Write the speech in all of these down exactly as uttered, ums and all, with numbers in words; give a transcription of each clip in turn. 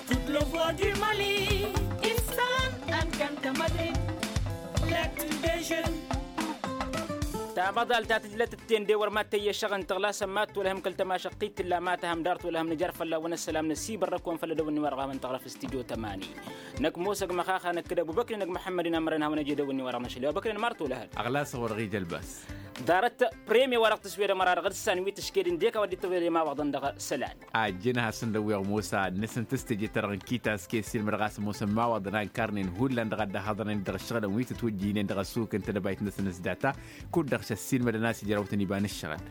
Tut lăvăr di mali istan. Ănkăntă mădrid. Lăkti dejen. Tamaḍalt ta tǝjlăt ǝtten de wăr mad-tăyy ăššăɣ n-tăɣlasăn mad-tolăhăm kăl-tămašăqqit tǝlla ma tăhăm dar tolăhăm nǝjar fălla-wen ăssălam năsibărrăk-wen făll-ad-ăwǝnni wa dăɣ-a-wen tăɣrăf s-tijo tămani. Năkk mosa g-măxaxa năkk d-ăbubăkri năkk măḥămmăd-in ămărăn hawăn-ăj ed ăwǝnni wa dăɣ-năšăl i-ăbubăkri n-măr tolăhăd. Ăɣlas a-wa dăɣ-ija ălbas. Ḍarăt premye wa dăɣ-tǝswed ămăra dăɣ-dd-san wi tǝšked ǝndek a-wa dd-tăwed i-imawaḍăn dăɣ-isălan. Ajjăn ad-hasăn-dăwweɣ mosa nǝsǝnt s-teje-ta-dăɣ n-kita s-kăy-ăssiilmădăɣ a-s ămoosăn imawaḍăn a ǝnkarnen hullan dăɣ-a dd-ăhaḍărnen dăɣ-ǝššăɣǝlăn wi tǝtwǝjjǝynen dăɣ-ăssuk n-tedăbayt-năsăn s-data. Kud-dăɣ šăssiilmădăn a-s ijrawtăn iba n-ǝššăɣǝl.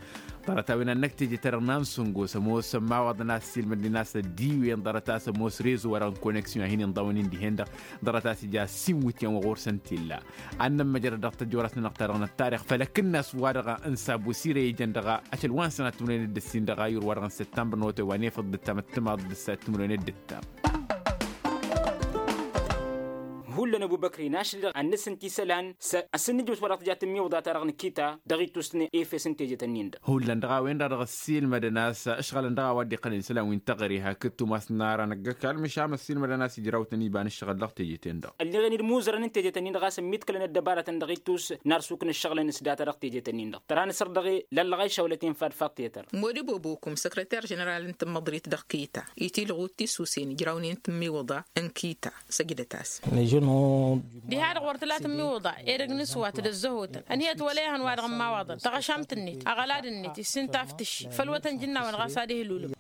Ḍarăt-a-wen ad-năkk teje-ta-dăɣ n-ansǝngo s-ămoosăn imawaḍăn a-s ăssiilmădnen a-s ăddiwǝyăn ḍarăt a-s ămoos rezo wa dăɣ-n koneksyon a hin-inḍawăn-in dihen-dăɣ. Ḍarăt a-s ija ăssiinwǝtyan wa ɣur-săn t-illa. Ad-nămmăjrăd dăɣ-tăjjorast-nănăɣ-ta-dăɣ n-ăttarix făll-ăkǝnnas wa dăɣ-n sabusirăy ijăn dăɣ-ašăl wa n-sănat timǝrwen d-ǝssin dăɣ-ayǝr wa dăɣ-n săttămbăr n-otay wa n-efăḍ d-ǝttam ăttămaḍ d-ǝssa timǝrwen d-ǝttam. Hullan ăbubăkri n-ašăl-dăɣ ad-nǝsǝnt isălan s-asǝnnǝjbǝs wa dăɣ-tǝja tǝmmiwǝḍa-ta-dăɣ n-kita dăɣ-ittus n-efes n-tejet-ǝnnin-dăɣ. Hullan dăɣ-a-wen-dăɣ dăɣ-ăssiilmădăn a-s ǝšɣălăn dăɣ-a-wa dd-iqqălăn isălan wi n-teɣăre hakd tumas n-ara năggăkal măšan ăssiilmădăn a-s ijrawtăn iba n-ǝššăɣǝl dăɣ-tejet-en-dăɣ. Ălleɣen-dd imuzărăn n-tejet-ǝnnin-dăɣ a-s ămmiḍkălăn ăddăbarătăn dăɣ-ittus n-arsuk n-ǝššăɣǝlăn s-data dăɣ-tejet-ǝnnin-dăɣ tăra n-asărdăɣ i-lăllăɣ a išawlăt infa d-faḍ tetăr. Modibo bokum săkrăter ženeral n-tǝmmăḍrit dăɣ-kita itilɣu d-tisusen ijrawnen tǝmmiwǝḍa n-kita. Săjdăt-as. Diha-dăɣ wăr tǝla tǝmmiwǝḍa edăgg n-aswat d-ăzzăhotăn ănhăyăt wăla ehăn wa dăɣ-n imawaḍăn taɣăšamt-net aɣălad-net issin taftǝšši făll-wătăn jǝnnawăn ɣas ad-ihlulǝm.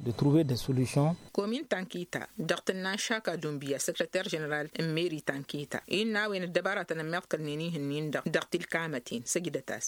Komin ta n-kita dăɣ-tǝnna n-šaka dunbiya săkrăter ženeral n-meri ta n-kita innă a-wen ăddăbaratăn ămmiḍkălnen ih'-ǝnnin-dăɣ dăɣ-tilkamăten. Săjdăt-as.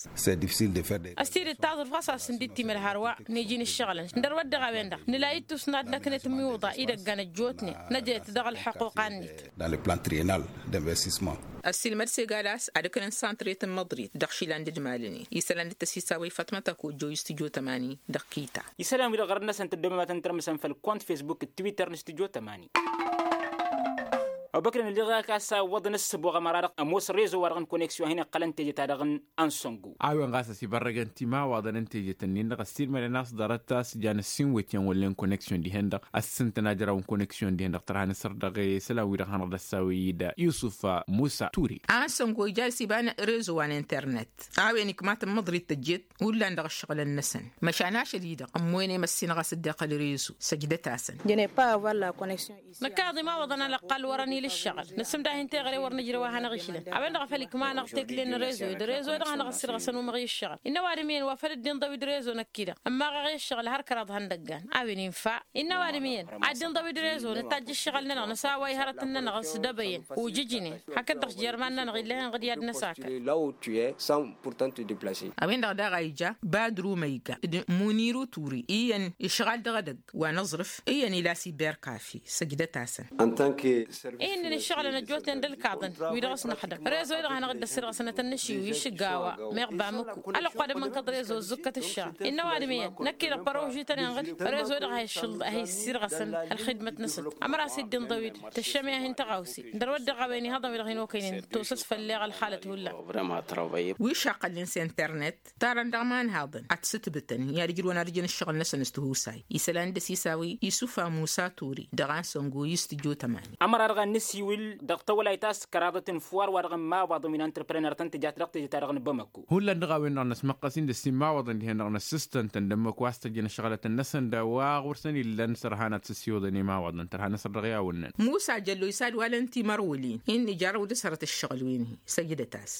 Ăstidd taẓrǝf ɣas a-s ǝndit timǝl hărwa n-iji n-ǝššăɣǝlăn. Dăr-wădden a-wen-dăɣ nǝla ittus n-ad-năknăt ǝmmiwǝḍa idăggan ăjjootnen năjăyăt dăɣ-ălḥăquqa-net. Dăɣ-le plan trienal d-investissement. Ăssiilmăd s-egad a-s ad-ǝknăn santret n-măḍrit dăɣ-išilan d-ǝdmalnen isălan d-tăsisawăy fatmăt ăkojjo i-s tǝjo tămani dăɣ-kita. Isălan-wi-dăɣ ɣărăn-năsăn tăddomematăn tărmǝsăn făll-kont fesbuk d-twitter n-s tǝjo tămani. Ăbubăkri n-ălliɣ a-s a ǝwwăḍăn ăssǝboɣ ămăra-dăɣ ămoos rezo-wa-dăɣ n-koneksyon a hin-iqqălăn teje-ta-dăɣ n-ansăngu. A-wen ɣas ăsibărrăgăn timawaḍăn n-tejet-ǝnnin-dăɣ ăssiilmădăn a-s ḍarăt a-s jan ăssiinwǝtyan wăllen koneksyon dihen-dăɣ ăssintăn ajraw n-koneksyon dihen-dăɣ tărha n-asăr dăɣ-e isălan-wi-dăɣ hanăɣ-dd-ăssawăy-dd yusuf musa ture. Ansăngu ija ăsiba n-rezo wa n-internet a-wen ikmatăn măḍrit tăjjet hullan dăɣ-ǝššăɣǝlăn-năsăn măšan ašăl-i-dăɣ ămmoyăn i-măssin ɣas dd-iqqăl rezo. Săjdăt-asăn. Năkk a iḍimawăḍăn alăqqal wăr-ănil ǝššăɣǝl nǝsǝmdah i n-teɣăre wăr nǝjrăw a hanăɣ-išlăn a-wen-dăɣ a făl ikma-năɣ tekle n-rezo d-rezo-dăɣ hanăɣ-ăssirɣăsăn umăɣ i-ǝššăɣǝl. Innă ăwadǝm iyyăn wa făl dd-inḍăw-dd rezo năkk-i-dăɣ ămmaɣ-aɣ i-ǝššăɣǝl har kăraḍ ihăndăggan. A-wen infa innă ăwadǝm iyyăn ad-dd-inḍăw-dd rezo nǝtajj ǝššăɣǝl-nănăɣ nǝsaway hărătăn-nănăɣ s-dăbăyăn ujǝjnen hakd-dăɣ s-jer iman-nănăɣ ill'-e-hen ɣǝd i-ad-năsakăl. A-wen-dăɣ daɣ a ija badru măyga d-muniru turi iyyăn išɣal dăɣ-edăgg wa n-aẓrǝf iyyăn ila s-iberkafi. Săjdăt-asăn. Ihǝnnin ǝššăɣǝlăn ăjjootnen d-ǝlkaḍăn wi-dăɣ s-năxdăm rezo-i-dăɣ hanăɣ-dd-ăssirɣăsnăt ănnăšiw išǝggawa meɣ bamǝku. Ălăqqu ad-ămmănkăḍ rezo ăzzǝkkăt ǝššăɣǝl innă ăwadǝm iyyăn năkk-i-dăɣ părožităn-in ɣǝd rezo-i-dăɣ a hi-issirɣăsăn ălxidmăt-năsăn. Ămăra s-dd-inḍăw-dd tăššămeha hin-tăɣawse. Dăr-wădden a-wen ihaḍăn-wi-dăɣ hin-okăynen tosăs făll-eɣ ălxalăt hullan. Wi šaqqălnen s-internet tarăn dăɣ-imanhaḍăn ad-t-sǝtbǝtăn i-ad-ǝjrǝwăn ad-ǝjăn ǝššăɣǝl-năsăn s-tihusay isălan d-ăsisawăy isufa musa ture dăɣ-ansăngo i-s tǝjo tămani. Ămăra-dăɣ ad-nǝsiwǝl dăɣ-tawălayt a-s kăraḍăt n-fuwar wa dăɣ-n-imawaḍăn wi n-antreprenăr tăn-tǝjat dăɣ-teje-ta-dăɣ n-bamăko. Hullan dăɣ-a-wen-dăɣ năsmăqqăs-in d-ăssimawaḍăn dihen-dăɣ năssǝstăn-tăn d-ămmăk wa s-tăjjăn ǝššăɣlătăn-năsăn d-a-wa ɣur-săn illăn s-ărhan ad-sǝssiwǝḍăn imawaḍăn tărha n-asăr dăɣ-i a wănnăn. Musa jăllo isad-walăn timărwǝlin-i n-ijarrăw d-asărăt ǝššăɣǝl-wen-hi. Săjdăt-as.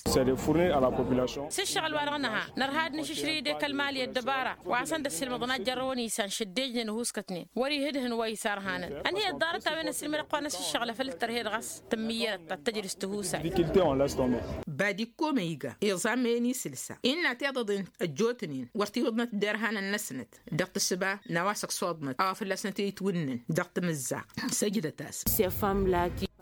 S-ǝššăɣǝl-wa-dăɣ nǝha nărha ad-nǝšǝšrǝy d-ekăl mali ăddăbara wa hasăn-dd-ăssiilmăḍăn ad-jărrăwăn isan šăddejnen ăhuuskătnen wăr-ihǝdhǝn wa isarhanăn. Ănhǝyăt ḍarăt a-wen ăssiilmăd ăqqoanăs ǝššăɣǝl a făl dd-tărhed ɣas tǝmmǝyyărăt ad-tăjrǝs tihusay. Bad ikkomăyga iẓammăyăn isǝlsa innă tiḍăḍen ăjjootnen wăr t-iwǝḍnăt derhanăn-năsnăt dăɣ-tǝssǝba n-a-wa s-ăksoḍnăt a-wa fălla-snăt i-itwǝnnǝn dăɣ-tamǝzzaɣt. Săjdăt-as.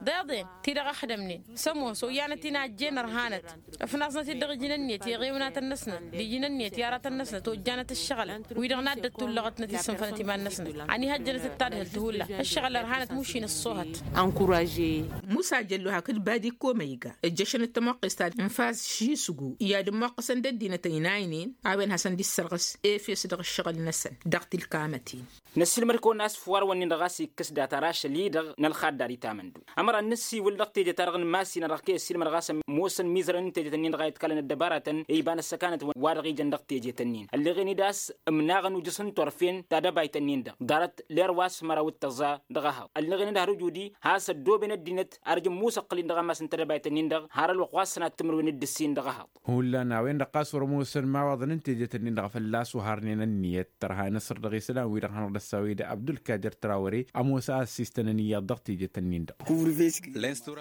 Deḍen ti-dăɣ ăxdămnen s-ămoos oyyanăt-in a ăjjeen ărhanăt. Ăfnaẓnăt-dd dăɣ-iji n-ǝnniyăt i-eɣewnatăn-năsnăt d-iji n-ǝnniyăt i-aratăn-năsnăt ojjanăt ǝššăɣǝlăn wi-dăɣ n-ad-dd-ăttullăɣ ătnăt-issǝnfănăt iman-năsnăt. Ănihăjjănăt d-tadhǝlt hullan ǝššăɣǝl ărhanăt mušin ăṣṣuhăt. Ănkurajăyăn. Musa jăllu hakd badi komăyga ǝjjăšăn d-tămoqqest ta n-faz ši sǝgu i-ad-ǝmmoqqăsăn d-ăddinăt ăynaynen a-wen hasăn-dd-issărɣǝs efes dăɣ-ǝššăɣǝl-năsăn dăɣ-tilkamăt-in. Năssiilmăd-kăwăn a-s făw arwăn-nin-dăɣ a-s ikkǝs data rašăl-i-dăɣ n-ălxaddar itamăndu. Ămăra n-năssiwǝl dăɣ-teje-ta-dăɣ n-imass-i-năɣ dăɣ-kăy-ăssiilmădăɣ a-s ămoosăn imizărăn n-tejet-ǝnnin-dăɣ a itkălăn ăddăbaratăn i-iba n-ăssăkanăt wa dăɣ-ijăn dăɣ-tejet-ǝnnin ălleɣen-dd a-s ǝmnaɣăn ujǝs n-turfen tadăbayt-ǝnnin-dăɣ ḍarăt ler wa s-măraw d-tăẓẓa dăɣ-ehăḍ ălleɣen-dd har ujudi has-ăddooben ăddinăt ar ǝjǝmmusăqqǝl-in dăɣ-ammas n-tadăbayt-ǝnnin-dăɣ har ălwăqq wa s-sănat timǝrwen d-ǝssin dăɣ-ehăḍ. Hullan a-wen-dăɣ ɣas wăr-ămoosăn imawaḍăn n-tejet-ǝnnin-dăɣ fălla-s oharnen ǝnniyăt tărha n-asăr dăɣ-isălan-wi-dăɣ hanăɣ-dd-ăssawăy d-abdulkadir trawăre ămoos a ăssiistănăn iyyăḍ dăɣ-tejet-ǝnnin-dăɣ.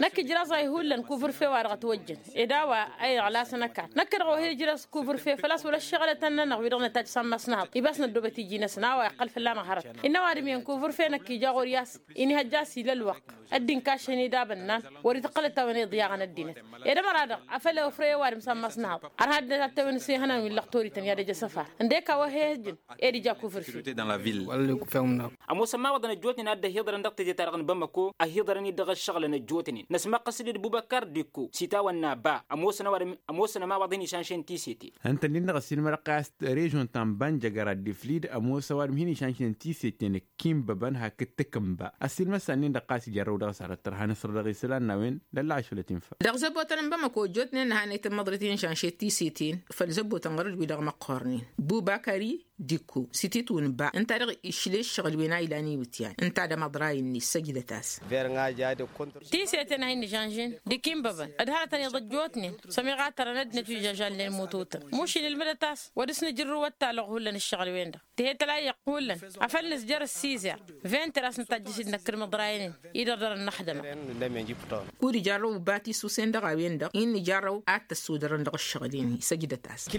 Năkk ijraẓ a ihullan kuvǝrfe wa dăɣ-ătwăjjăn ed a-wa a iɣlasăn ăkall năkk-dăɣ wa hi-ijraẓ kuvǝrfe făl-a-s wăla ăššăɣǝlătăn-nănăɣ wi-dăɣ nătajj s-ammas n-ehăḍ ibas năddoobăt iji-năsăn a-wa iqqăl fălla-năɣ hărăt. Innă ăwadǝm iyyăn kuvǝrfe năkk ija ɣur-i a-s inihăjja a-s ila ălwăqq ăddin kašăn-ed abănnan wăr-ităqqălăt a-wen iḍyaɣăn ăddinăt. Ed ămăra-dăɣ a făl ewăfrăy ăwadǝm s-ammas n-ehăḍ ărha ăddinăt ad-t-ewăn s-ihănan wi n-lăqtorităn i-ad-ăj asăfar ǝndek a-wa he-hăjjăn ed ija kuvǝrfe. Ămoosăn imawaḍăn ăjjootnen a dd-ăhiḍărăn dăɣ-teje-ta-dăɣ n-bamăko ăhiḍărăn-dd dăɣ-ăššăɣǝlăn ăjjootnen năsmăqqăs-dd d-bubăkar d-ikko s-itawănna ba ămoosăn ăwadǝm ămoosăn ămawaḍ hin-išanšen tisetin. Ǝnta-nin-dăɣ ăssiilmădăɣ-kăy a-s režon ta n-banjăgăr a dd-iflid ămoos ăwadǝm hin-išanšen tisetin ǝkkimbăbăn hakd tǝkǝnba ăssiilmăd s-a-nin-dăɣ ɣas ijarrăw dăɣ-s arăt tărha n-asăr dăɣ-isălan n-a-wen. Dălla ašălăt infa. Dăɣ-zăbotăn n-bamăko ăjjootnen n-hanăyt n-imăḍrit inšanšet tisetin făll-zăbotăn ɣur-dd wi-dăɣ măqqornen bubakari d-ikko s-ititwǝn ba ǝnta-dăɣ išle ǝššăɣǝl-wen a ilan iwǝtyan ǝnta d-amăḍray-net săjdăt-as. Tiseten a hin-nǝžănžen d-ikinbăbăn d-hărătăn iḍăjjootnen sămiɣatărăn ăddinăt wi žăžalnen mututăn mušin ilmǝdăt-as wăr dăr-s nǝjrǝw ăttalăɣ hullan ǝššăɣǝl-wen-dăɣ. Tihăt ălayăɣ hullan afăl nǝzjăr ăssizer venter a-s nǝtajjăš-dd năkk d-imǝḍraynen-in. Idărdărăn n-axdăma. Kud-ijarrăw uba tisusen dăɣ-a-wen-dăɣ i n-ijarrăw ad-t-ăssudărăn dăɣ-ǝššăɣǝl-in-hi săjdăt-asăn.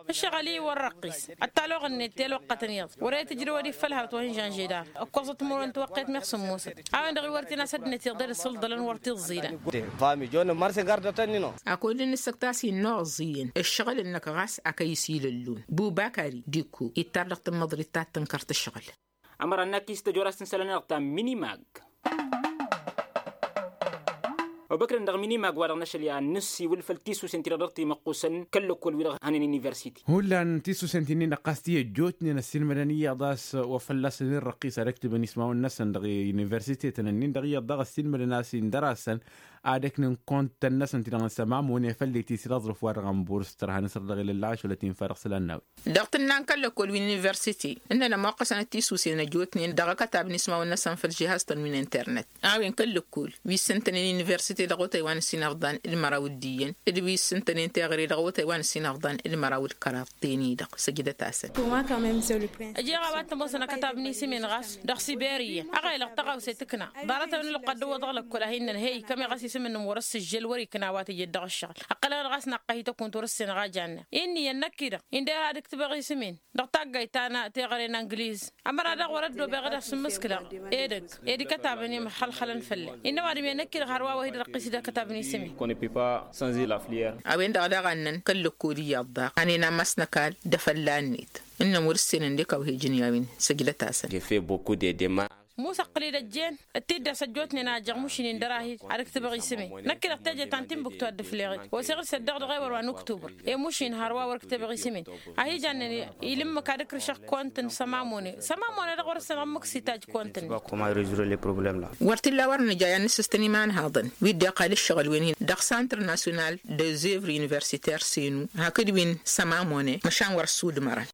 Ǝššăɣǝl-i wăr răqqis ăttalăɣ-net telwăqqătăn iyyăḍ wăr-e tǝjrǝw ad-iffăl hărăt wa hin-žănžed arăt ǝkkoẓăt timǝrwen tiwăqqet meɣ sǝmmosăt. A-wen-dăɣ iwwăr tinas ăddinăt iḍel s-ǝlḍălăn wăr t-iẓẓilăn. Akud-in ǝssăkt a-s inna oẓẓiyăn ǝššăɣǝl-năk ɣas akăy-s ilăllun bubakari d-ikko ittar dăɣ-tǝmmăḍrit ta t-tǝnkăr tǝšɣǝl. Ămăra n-akis tăjorast n-isălan-nănăɣ ta minimag. Obăkrăn dăɣ-minimag wa-dăɣ n-ašăl i-ad-nǝssiwǝl făll-tisusen-ti-dăɣ dăɣ-timăqqusăn kăl-lăkkol wi-dăɣ hănen universiti. Hullan tisusen-ti-nin-dăɣ ɣas ti ăjjootnen ăssiilmădăn iyyăḍ a-s wa fălla-săn irrăqqis ad-ǝktǝbăn ismawăn-năsăn dăɣ-universitetăn-nin-dăɣ iyyăḍ daɣ ăssiilmădăn a-s indăr-asăn ad-ǝknǝn kontăn-năsăn ti-dăɣ n-sămamune făll-i ti s-ila aẓrǝf wa-dăɣ n-burs tărha n-asăr dăɣ-ilălla ašăl ătinfa dăɣ-isălan n-a-wen. Dăɣ-tǝnna n-kăl-lăkkol wi n-universite ǝnnăn ămoqqăsăn d-tisusen ăjjootnen dăɣ-akătab n-ismawăn-năsăn făll-žihaz-tăn wi n-internet. A-wen kăl-lăkkol wi s-ǝntănen universite dăɣ-otay wa n-ǝssin ăfḍan d-măraw d-iyyăn d-wi s-ǝntănen teɣăre dăɣ-otay wa n-ǝssin ăfḍan d-măraw d-kăraḍten-i-dăɣ săjdăt-asăn. Ăjeɣ a-wa t-ămoosăn akătab n-isǝmen ɣas dăɣ-siberiya ăɣelăɣ tăɣawse tǝkna ḍarăt-a-wen ălwăqq ad-dăwwăḍăɣ lăkkol a hin-nănhăy kămeɣ a-s isǝm-nǝnn wăr-ăssǝžžel wăr-ikna a-wa tǝjed dăɣ-ǝššăɣǝl. Ăqqălăɣ-dăɣ a-s naqqăhi tăkunt wăr-ǝssenăɣ a janna. Inn'-iyyăn năkk-i-dăɣ indăr ad-ǝktǝbăɣ isǝmen dăɣ-taggayt ta n-teɣăre n-angliz. Ămăra-dăɣ wăr-ăddoobeɣ ad-asǝmmǝskǝlăɣ edăgg ed ikătabăn imăxxălxălăn făll-e-dd innă ăwadǝm-i ad-năkk-i-dăɣ hărwa wa hi-dd-răqqis d-akătab n-isǝmen. A-wen-dăɣ daɣ a ǝnnăn kăl-lăkkol iyyăḍ daɣ hanen ammas n-ăkall d-afălla-net ǝnnăn wăr-ǝssenăn d-ekawhe-jăn i-a-wen. Săjdăt-asăn. Musa ǝqqǝl-dd ăjjeen d-tiddas ăjjootnen a ăjjăɣ mušin-in dăr-ahij ad-ǝktǝbăɣ isǝmen. Năkk-i-dăɣ teje ta n-timbuktu a dd-ǝfleɣ-dd oseɣ-dd săddăɣ dăɣ-ewăr wa n-uktubăr i-mušin hărwa wăr-ǝktǝbăɣ isǝmen. Ad-hi-jannen ilǝmmǝk ad-ǝkrǝšăɣ kont n-sămamune sămamune-dăɣ wăr-ǝssanăɣ ǝmmǝk s-itajj kont-net. Wăr t-illa wăr nǝja i-ad-nǝssǝstăn imanhaḍăn wi dd-iqqal ǝššăɣǝl-wen-hin dăɣ-santr nasyonal dăɣ-zevri universiter senu hakd wi n-sămamune măšan wăr-ăssudmărăn.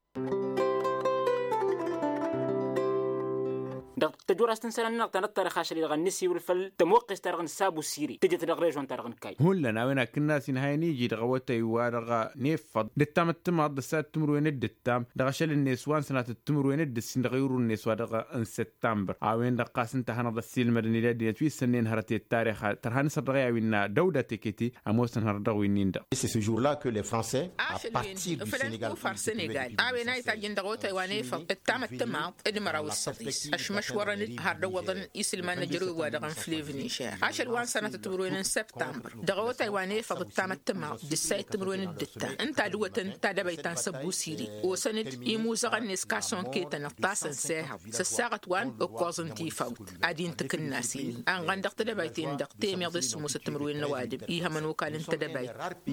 Dăɣ-tăjurast n-isălan-nănăɣ ta n-ăṭṭarix ašăl-i-dăɣ ad-nǝsiwǝl făll-tămoqqes-ta-dăɣ n-sabusiri tǝjǝt dăɣ-režon-ta-dăɣ n-kayy. Hullan a-wen akǝnnas-in hayăn iji dăɣ-awătay wa dăɣ-nefăḍ d-ǝttam d-timaḍt d-ăssayăt timǝrwen d-ǝttam dăɣ-ašăl-net wa n-sănatăt timǝrwen d-ǝssin dăɣ-irun-net wa dăɣ-n săttambăr. A-wen-dăɣ ɣas ǝnta a hanăɣ-dd-ăssiilmădăn ila ăddinăt wi s-ǝnnen hărăt i-ăttarix tărha n-asăr dăɣ-i a-wi n-dăwda teketi ămoosăn hărăt dăɣ-winnin-dăɣ. Ašăl-wen fălăn kufar sănegal a-wen a itajjăn dăɣ-otay wa n-efăḍ ǝttam d-timaḍt d-măraw d-săḍis. Ašwărăn-dd har d-ăwwăḍăn isǝlman n-ajrăw wa dăɣ-inflev nižer ašăl wa n-sănatăt timǝrwen n-săptămbăr dăɣ-awătay wa n-efăḍ d-tamăttămaḍt d-ǝssayăt timǝrwen d-ǝttam ǝnta a dd-ǝwwătăn tadăbayt ta n-săbbusiri osăn-dd imuzăɣăn-net kasson ketăn ǝṭṭasăn s-ehăḍ s-ăssaɣăt wa n-ǝkkoẓ n-tifawt ad-intǝkǝnnas-in anɣan dăɣ-tadăbayt-en-dăɣ temeḍe s-sǝmmosăt timǝrwen n-ăwadǝm ihămăn okal n-tadăbayt.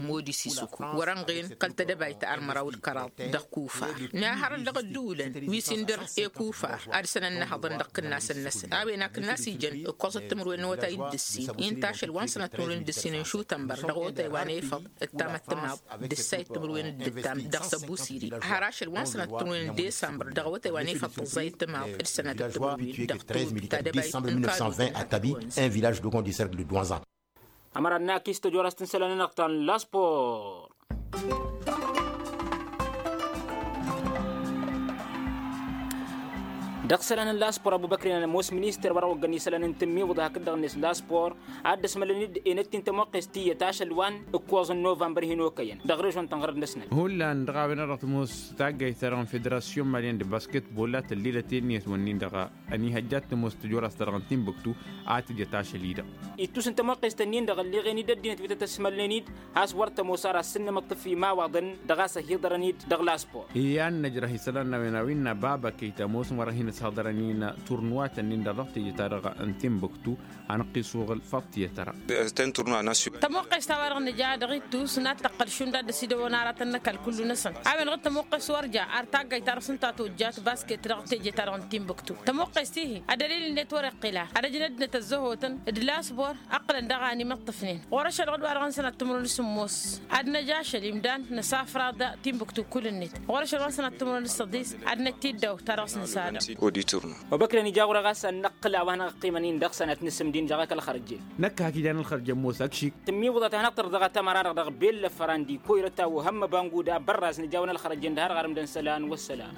Modis isuku wăr-ănɣen kăl-tadăbayt ta ărmăraw d-kăraḍ dăɣ-kufar nǝhărăt dăɣ-ădduulăn wi s-indăr i-kufar ad-săn ănnăhăḍăn dăɣ-kǝnnasăn-năsăn a-wen akǝnnas ijăn ǝkkoẓăt timǝrwen n-awătay d-ǝssin inta ašăl wa n-sănat timǝrwen d-ǝssin n-šutănbăr dăɣ-awătay wa n-efăḍ d-tamăttămaḍ d-ǝssayăt timǝrwen d-ǝttam dăɣ-săbusiri har ašăl wa n-sănat timǝrwen n-desambăr dăɣ-awătay wa n-efăḍ tăẓẓayăt tămaḍ d-sănatăt timǝrwen dăɣ-tăwǝt ta dăbayt n-kăl-wătay. Ănvillaj dăɣ-gondisărk d-dwanza. Ămăra n-akis tăjorast n-isălan-nănăɣ ta n-laspor. Dăɣ-isălan n-laspor ăbubăkren ămoos minister wăr-ăwăggăn isălan n-tǝmmiwǝḍ hakd-dăɣ-net laspor ad-dd-ăsmălăn-dd enăt-in tămoqqest tiyyăt ašăl wa n-ǝkkoẓ n-novămbăr hin-okăyăn dăɣ-režon ta n-ɣărăt-năsnăt. Hullan dăɣ-a-wen a dăɣ-tămoos taggayt-ta-dăɣ n-federasyon malyan d-basketbol a tăllilăt enniyăt-wǝnnin-dăɣ a ăniihăjja ad-tămoos tăjorast-ta-dăɣ n-tinbuktu a tǝjăt ašăl-i-dăɣ. Ittus n-tămoqqest-ǝnnin-dăɣ ălleɣen-dd ăddinăt wi tăt-ăsmălnen-dd has-wăr tămoos ar assǝnnămăṭṭǝf imawaḍăn dăɣ-a-s ăhiḍărăn-dd dăɣ-laspor. Iyyăn năjrăh isălan n-a-wen a-wen n-ababăkăy tămoos n-wăr-ăhinăshăḍărăn i-n turnuwat-ǝnnin-dăɣ dăɣ-teje-ta-dăɣ n-tinbuktu. Hanăɣ-t-isuɣǝl făṭṭiyăt-ra. Tămoqqest a-wa-dăɣ nǝja dăɣ-ittus n-ad-tăqqăl šund ad-dd-ăsidăwăn aratăn n-ăkall kullu-năsăn a-wen-dăɣ d-tămoqqest wăr ja ar taggayt ta dăɣ-s ǝnta a tojjat basket dăɣ-teje-ta-dăɣ n-tinbuktu. Tămoqqest-ihi ăddălil-net wăr-iqqǝl a ad-ăjnăd-năt ăzzăhotăn d-lasbor ǝqqǝlăn daɣ a ănimăṭṭăfnen ɣur-ašăl dăɣ-dd-wa-dăɣ n-sănat timǝrwen s-sǝmmos. Ad-năj ašăl imdan nǝsafraḍ tinbuktu kull-net ɣur-ašăl wa n-sănat timǝrwen s-săḍis ad-năj tiddaw ta dăɣ-s nǝsadăɣ. Wa băkrăn ija ɣur-e ɣas ad-năqqǝl a-wa hanăɣ-ăqqimăn-in dăɣ-sănat n-asǝmdi n-dăɣ-ak ălxărjel. Năkk hak ijan ălxărjel ămoos ăkšik. Tǝmmiwǝḍăt a hanăɣ-tărḍăɣ a tamăra-dăɣ dăɣ-bellăfăra n-dikoyrăt a ohămmăba n-guda bărraz nǝjawăn ălxărjel d-har ɣarǝm d-ănn isălan wăssălam.